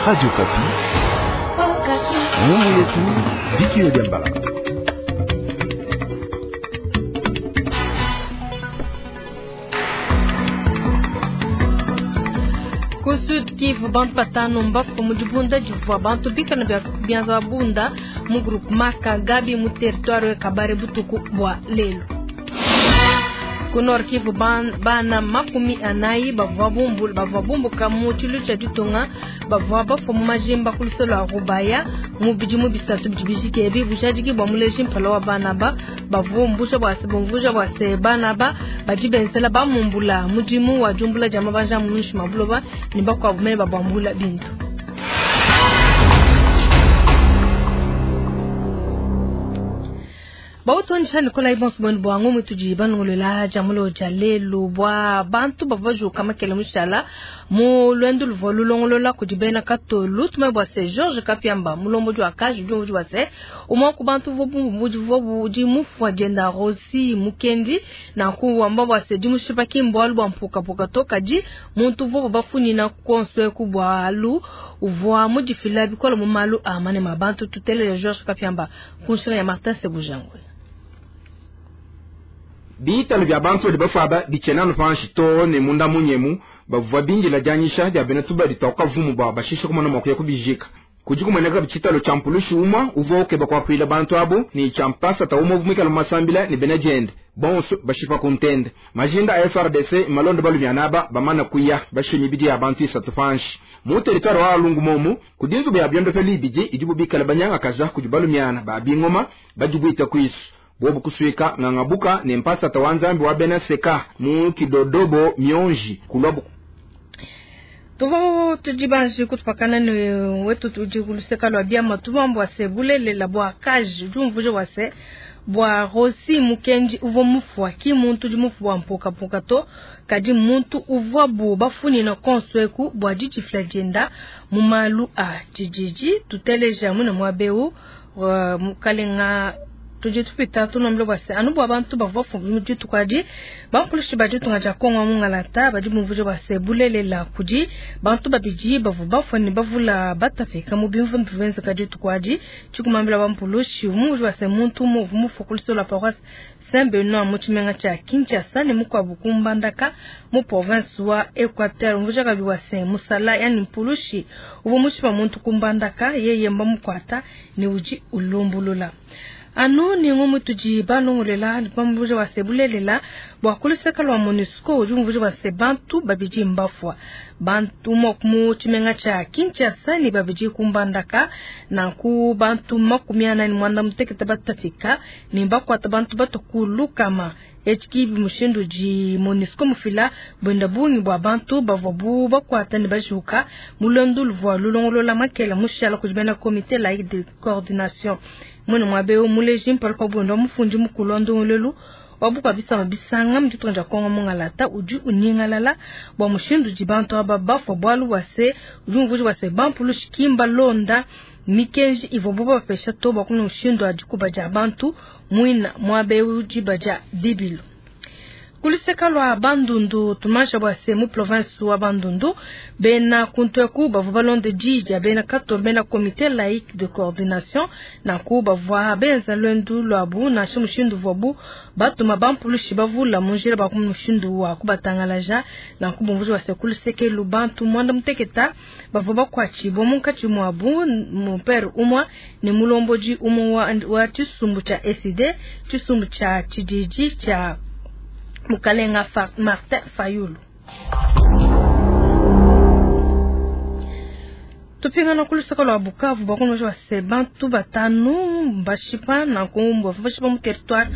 Radio Okapi. Ngumu yetu Dikio Diambala. Ku Sud Kivu bantu batano mbafue mu dibunda divua bantu bikala bianza babunda mu groupement Kagabi mu territoire Kabare butuku bua lelu. Ku Nord Kivu bana 40 bavua bavua bumbuka mu tshilu tshia ditunga bavua bafua mu majimba ku luse lua Rubaya mu bidimu 3 bidi bijike ebi. Bujadiki bua muleji mpala wa bana ba bavua bumvuja bua se bana ba badi benzela bamumbula mudimu wa diumbula dia mabanja mu muinshi mua buloba ne bakuabu mene babambula bintu. Bautonisha Nikolai bonso bwenu bwa ngomu tudi banongolola jamulo ja lelu bwa bantu bavua bajuka makele mushala mu lwendo luvua lulongolola kudi bena katolu tume bua se George Kapiamba mulombodi wa kaji udi bua se umwe ku bantu vua budi mufua dienda Rosi Mukendi nanku wamba bua se dimushipa ki mbualu bua mpukapuka to kadi muntu vua bafunyina konswe ku bualu uvua mudifila bikole mu malu a manema bantu tutelele George Kapiamba kunshila ya Martin Sebujangwe. Bitalo bya bantu badi bafaba bichena nupanshi to ne munda munyemu bavua bingila dianyisha dia bena tubadi toka vumu bwa bashisha kumona mwakuya kubijika kudi kumoneka bitshitalo tshia mpulushi umwa uvua ukeba kuakuila bantu abo ni tshia mpasa ta umwe vumikala masambila ni bena diende bonso bashipa kuntende majinda a FRDC malondo balumyanaba bamana kuya bashinyi bidi ya bantu 3 panshi mu territoire wa Lungu momu kudinzu bya byondo pe libiji idibu bikala banyanga kaza kudi balumyana ba bingoma badibwita kwisu bobu kuswika ngangabuka ne mpasa tawanzambi wa bena seka mu kidodobo mionji kulwabu tuvo tudibanji kutupakana ne wetu tudi kuluseka lwa biama tubambu se bulelela bwa kaji jumvuje wa se bwa Rosi Mukendi uvua mufua ki muntu di mufua mpuka mpuka to kadi muntu uvua bu bafuni na konsweku bwa didifila dienda mu malu a tshididi tuteleja muna mwabeu mukalenga tudi tupita tunombe bwa se anu bwa bantu bavua mu dituku adi bampulushi ba ditunga dia Kongo mungalata badi bumvuje bwa se bulelela kudi bantu babidi bavua bafua ne bavula batafika mu bimvu bivenzeka dituku adi tshikumambila bampulushi umuvuje bwa se muntu umwe mufua ku luse lwa paroisse Saint Benoît mu tshimenga tshia Kinshasa ne mukuabu ku Mbandaka mu province wa Equateur. Umvuje kabi bwa se musala yani mpulushi uvua mushipa muntu ku Mbandaka yeye mbamukwata ne udi ulumbulula. Anu ni ngumu tudi balongolela bamvuje wa se bulelela bwa kuluseka lwa MONUSCO udi umvuje wa se bantu babidi mbafua bantu mu tshimenga tshia Kinshasa ne babidi ku Mbandaka nanku bantu 48 batafika ne bakwata bantu batokulukama etshi mushindu di MONUSCO mufila bwenda bungi bwa bantu bavua bu bakwata ne bajuka mulondo luvua lulongolola makela mushala kudi bena comité laïque de coordination mwene mwabeo muleji mpala pa bwendo mufundi mukulu wa ndongolelu wabuka bisamba bisanga mu ditunga dia Kongo mungalata udi unyingalala bwa mushindu di bantu aba bafua bualu bua se udi umvuja bua se bampulushi kimba londa mikenji ivua bo bapesha to bua kuna mushindu wa dikuba dia bantu mwina mwabeo diba dia dibilu. Kuluseka lwa Bandundu tumasha bwa se mu province wa Bandundu bena kuntweku bavua balonde dija bena kato bena comité laïque de coordination nanku bavua benza lwendu lwabu nansha mushindu vuabu batuma bampulushi bavula mu njila ba mushindu wa kubatangalaja nanku bumvuji bwa se kuluseke lu bantu 96 bavua bakwatshibwa munkatshi mwabu mupere umwa ne mulomboji umwe wa tshisumbu tsha SID tshisumbu tsha tshididi tsha Mukalenga Martin Fayulu. Tupingana kulusaka lwa Bukavu bakunoja wa se bantu batano bashipa na kumbwa bashipa mu territoire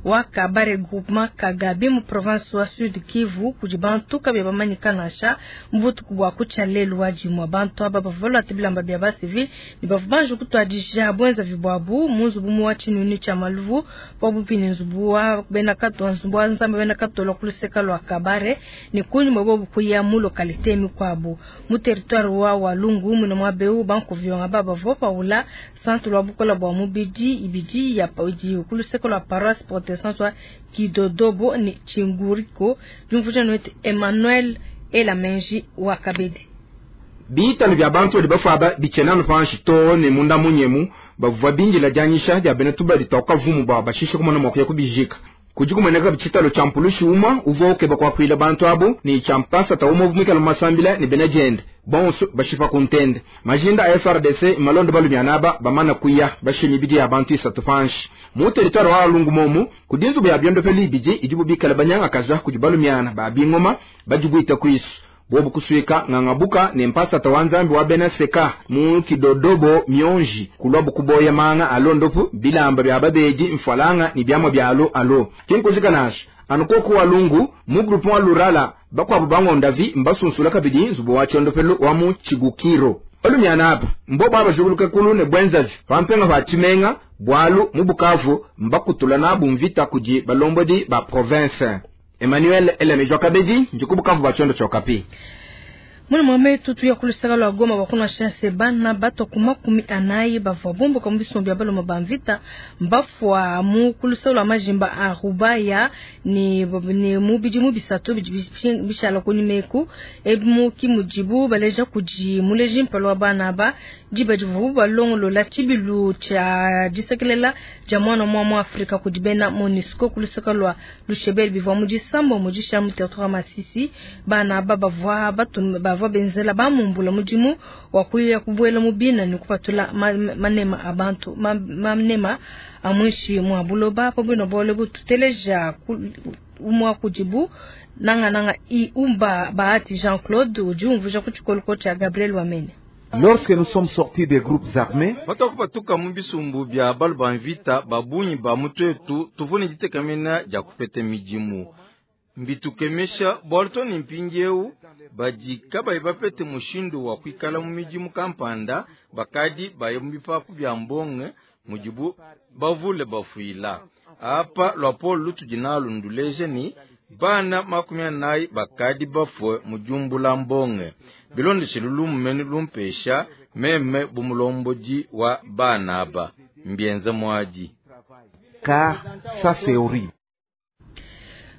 wa Kabare groupement Kagabi mu province wa Sud Kivu kudi bantu kabe bamanyika nasha mbutuku bwa kucha lelu wa jimwa bantu aba bavua bilamba bya ba civil ni bavua banje kutwadija bwenza vibwabu mu nzubu mu wa tshinuni tsha maluvu pabupi ne nzubu wa bena kato nzubu wa nzambe bena kato lwa kuluseka lwa Kabare ni kunyuma bobu kuya mu localité mikwabu mu territoire wa Walungu mu mwa beu banku vyonga baba bavua paula centre lwa bukola bwa mubidi ibidi ya paudi kuluseka lwa paroisse protestante wa Kidodobo ni Chinguriko jumvuja nwete Emmanuel Elamenji wa Kabedi. Bitalu bia bantu badi bafua aba bitshiena anu panshi too ne munda munyemu. Bavua bindila dianyisha dia bena tubadi tua kavumu bua bashishe kumona mua kuya kubijika. Kudi kumueneka tshitalu tshia mpulushi umue uvua ukeba kuakuila bantu abu ne tshia mpasata umue uvua muikale mu masambila ne bena diende bonso bashipa ku ntende. Majinda a FARDC malonde balumiana aba bamana kuya bashiye mibidi ya bantu isatu panshi. Mu territoire wa Walungu momu kudi nzubu ya biondopelu ibidi idibu bikale banyangakaja kudi balumiana ba bingoma badibuita kuisu. Bobu kusuika ngangabuka ne mpasata wa Nzambi wa bena Seka mu Kidodobo mionji kulwabu kuboya manga alondopu bilamba bya babedi mfwalanga ni byamwa byalo alo. Kinkujika nasha anukoku Walungu mu groupement wa Lurala bakwabu bangondavi mbasunsula kabidi nzubu wa chondopelo wa mu Chigukiro. Balumiana apa mbo baba juguluka kulu ne bwenzavi pampenga pa Chimenga bwalu mu Bukavu mbakutula nabu mvita kudi balombodi ba province. Emmanuel Elemejwa Kabedi njikubukavu ba chondo chokapi. Mwana mwame tutu ya kulusaka lwa Goma wakuna chance bana bato kuma 40 bavwa bombo kwa mbisombi ya baloma bamvita mbafwa mu kulusaka lwa majimba a Rubaya ni mubidi mubisatu bishala kunimeku ebu kimujibu baleja kuji muleji mpalwa bana ba jiba jivu balongo lola chibilu cha jisekelela ja mwana mwa Afrika kudibena MONUSCO kulusaka lwa lushebel bivwa mujisambo mujisha mu territoire Masisi bana ba bavwa batu bavwa benzela bamumbula mudimu wakuya kubwela mubina ni kupatula manema abantu manema amwishi mwa buloba pabwino bole bututeleja umwa kujibu nanga nanga i umba Bahati Jean-Claude ujumvuja kuchikoloko cha Gabriel Wamene. Lorsque nous sommes sortis des groupes armés, batakupa mubisumbu bya balu mvita babunyi ba mutwetu tuvune ditekamena ja kupete midimu mbitukemesha bwalto ni mpingieu badi kabayi bapete mushindu wa kuikala mu midimu kampanda bakadi baye mu bipapu bya mbonge mudibu bavule bafuila apa lwapolo lutudi nalu nduleje ni bana 40 bakadi bafwe mujumbula mbonge bilondeshe lulumene lumpesha meme bumulombodi wa bana aba mbienza mwadi car ça c'est horrible.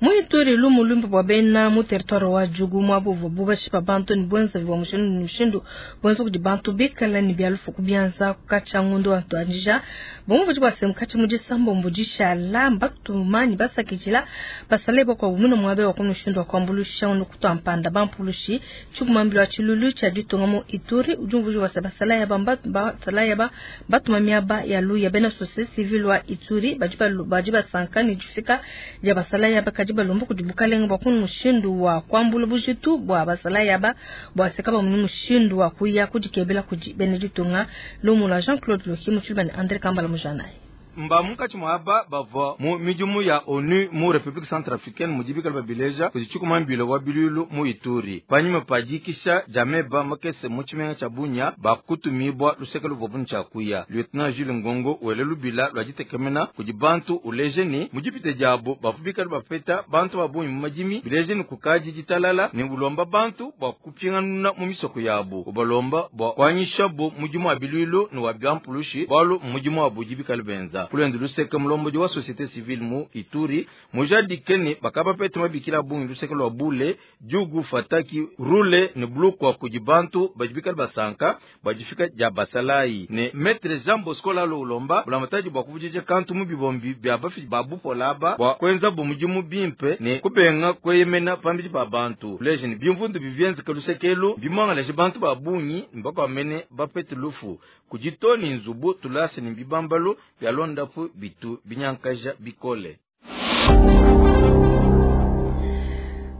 Muituri lumu lumbu bwa bena mu territoire wa Djugu mwabuvu bubashipa bantu ni bwenza bwa mushindu ni mushindu bwenza kudi bantu bikala ni byalufu kubyanza kukacha ngundu antu anjija bomvu bwa semkachi mujisambo mbujisha lamba tumani basakijila basale kwa bumino mwabe wa kumushindu wa kwambulusha unu kutwampanda bampulushi chukumambilo wa chilulu cha ditunga mu Ituri ujumvu wa basala ya bamba basala ya ba batumamia ba ya luya bena société civile wa Ituri bajiba sankani jifika ja basala ya bakaji balombo kudibukalenga bwa kunu mushindu wa kwambula bujitu bwa basala yaba bwa sekaba munu mushindu wa kuya kudikebela kudi Beneditunga lumula Jean-Claude Loki muchulba ni André Kambala mujanaye. Mba munkatshi mwaba bavua mu midimu ya ONU mu République Centrafricaine mudibikala babileja kuzichikumambilo wa bilulu mu Ituri panyima padikisha jameba makese mu tshimenga tsha Bunia bakutumibwa luseke luvobu ntshakuya Lieutenant Jules Ngongo wele lubila lwa ditekemena kudi bantu ulejeni mudipite diabo bavubikala bapeta bantu babunyi mu madimi bilejeni kukaji ditalala ne bulomba bantu bwa kupinganuna mu misoko yabo ubalomba bwa kwanyisha bo mudimu wa bilulu ne wa byampulushi bwalu mudimu wa budibikala benza kulwendu luseke mulombodi wa société civile mu Ituri mujadikeni bakaba pete mabikila bungi luseke lwa bule jugu fataki rule ne blukwa kudi bantu bajibikala basanka bajifika ja basalai ne maître Jean Bosco lalo ulomba bulamataji bwa kuvujije kantu mu bibombi bya bafi babupola bwa kwenza bumujimu bimpe ne kubenga kweyemena pambiji ba bantu lejeni bimvundu bivyenze kalusekelu bimangaleje bantu babungi mbakwamene bapete lufu kujitoni nzubu tulase ni bibambalo bya londa bitu binyankaja bikole.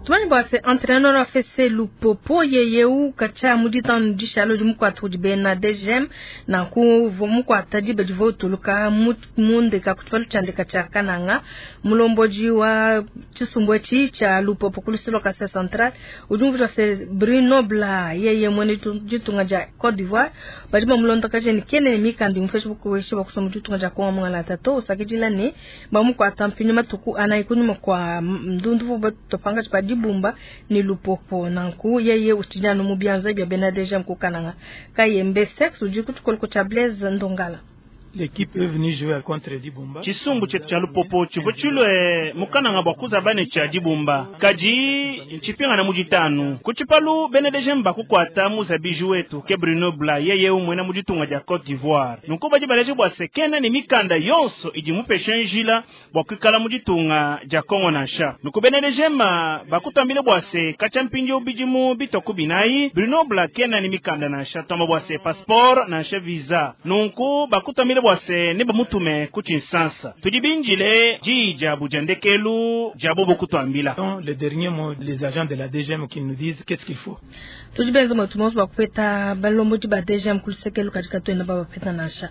Tumani bwase entraîneur wa FC Lupopo yeyeu kacha muditanu dishalo di mukwatu di bena DGM na ku mukwata di bedivo tuluka mundeka kutwalu chandeka cha kananga mulomboji wa chisumbo chi cha Lupopo kulusilo kasa central ujumvu wa Bruno Bla yeye mwene ditunga ja Côte d'Ivoire badi mulonda kaje ni kene mikandi mu Facebook weshi bakusoma ditunga ja kwa mwana tato usakijila ne bamukwata mpinyu matuku anaikunyuma kwa ndundu topanga dibumba ni Lupopo nanku yeye utijano mu byanza bya Benadejam kukananga kayembe sex uji kutukoloko cha Blaise Ndongala. L'équipe est venue jouer contre Dibumba. Tshisumbu tshietu tshia lupopo tshivua tshilue mukananga bua kuzaba ne tshia Dibumba, kadi ntshipingana mu ditanu ku tshipalu bena DGM bakukuata muzabiji wetu ke Bruno Bla, yeye umwena mu ditunga dia Cote d'Ivoire. Nunku badi baleje bua se kena ne mikanda yonso idi mupeshe njila bua kuikala mu ditunga dia Kongo nansha. Nunku bena DGM bakutambile bua se katshia mpindieu bidimu bitwa ku binayi Bruno Bla kena ne mikanda nansha, tuamba bua se passeport nansha visa. Nunku bakutambile bua se ne bamutume ku Tshinsansa. Tudi binjile diyi diabu dia ndekelu dia bobo kutuambila. Donc, le dernier mot, les agents de la DGM qui nous disent qu'est-ce qu'il faut. Tudi benze mwetu monso bakupeta balombodi ba DGM ku lusekelo kadi katuena babapeta nansha.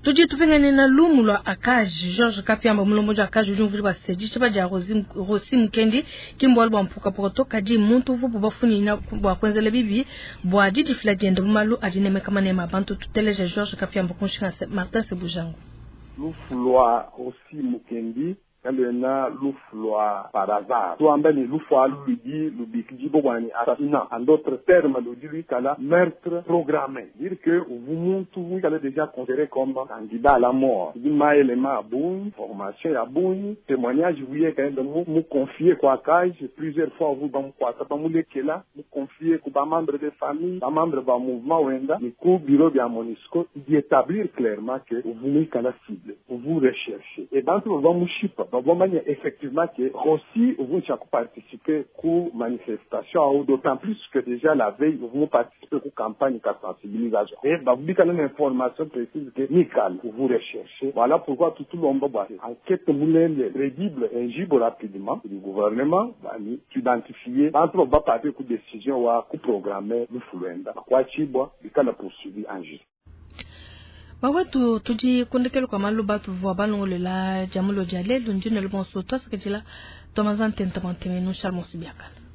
Tudi tupingane na lumu lwa ACAJ. Georges Kapiamba mulombodi wa ACAJ udi umvuija bua se dishipa dia Rossy Mukendi ki mbualu bua mpukapuka to, kadi muntu uvuabu bafunyina bua kuenzela bibi bua didifila diende mu malu adi nemeka manema a bantu. Tuteleje Georges Kapiamba ku nshinga Martin Sebujangu. Lufu lwa Rossy Mukendi kaluena lufu lwa par hasard, tuamba ne lufu alu ludi lubikidibua bua ne assassinat, en d'autres termes ludi luikala meurtre programmé, dire que uvu muntu wikala déjà considéré comme candidat à la mort. Tudi maelema a bungi, formation ya bungi, témoignage wiyeka enda mu confier kwa ACAJ plusieurs fois, uvu bamukwata bamulekela mu confier ku ba membre de famille, ba membre ba mouvement wenda ni ku bureau bya MONUSCO, di établir clairement que uvu muikala cible, uvu recherché et bantu bava mushipa bavamanya effectivement que Rossy uvu participer ku manifestation ou d'autant plus que déjà la veille uvu participer ku campagne ka sensibilisation et babikala une information précise que Mikal uvu recherché. Voilà pourquoi tout le monde va enquête mulele crédible injibo rapidement du gouvernement bani identifier bantu ba partir ku décision wa ku programmer lufulwenda kwa chibwa bikala poursuivi en justice. Bawetu tudi kundekelo kwa malu batu vua balongolela jamulo dia lelu ndine lubonso twasakidila twamazantenta mantemenu Charles Mosubiakala.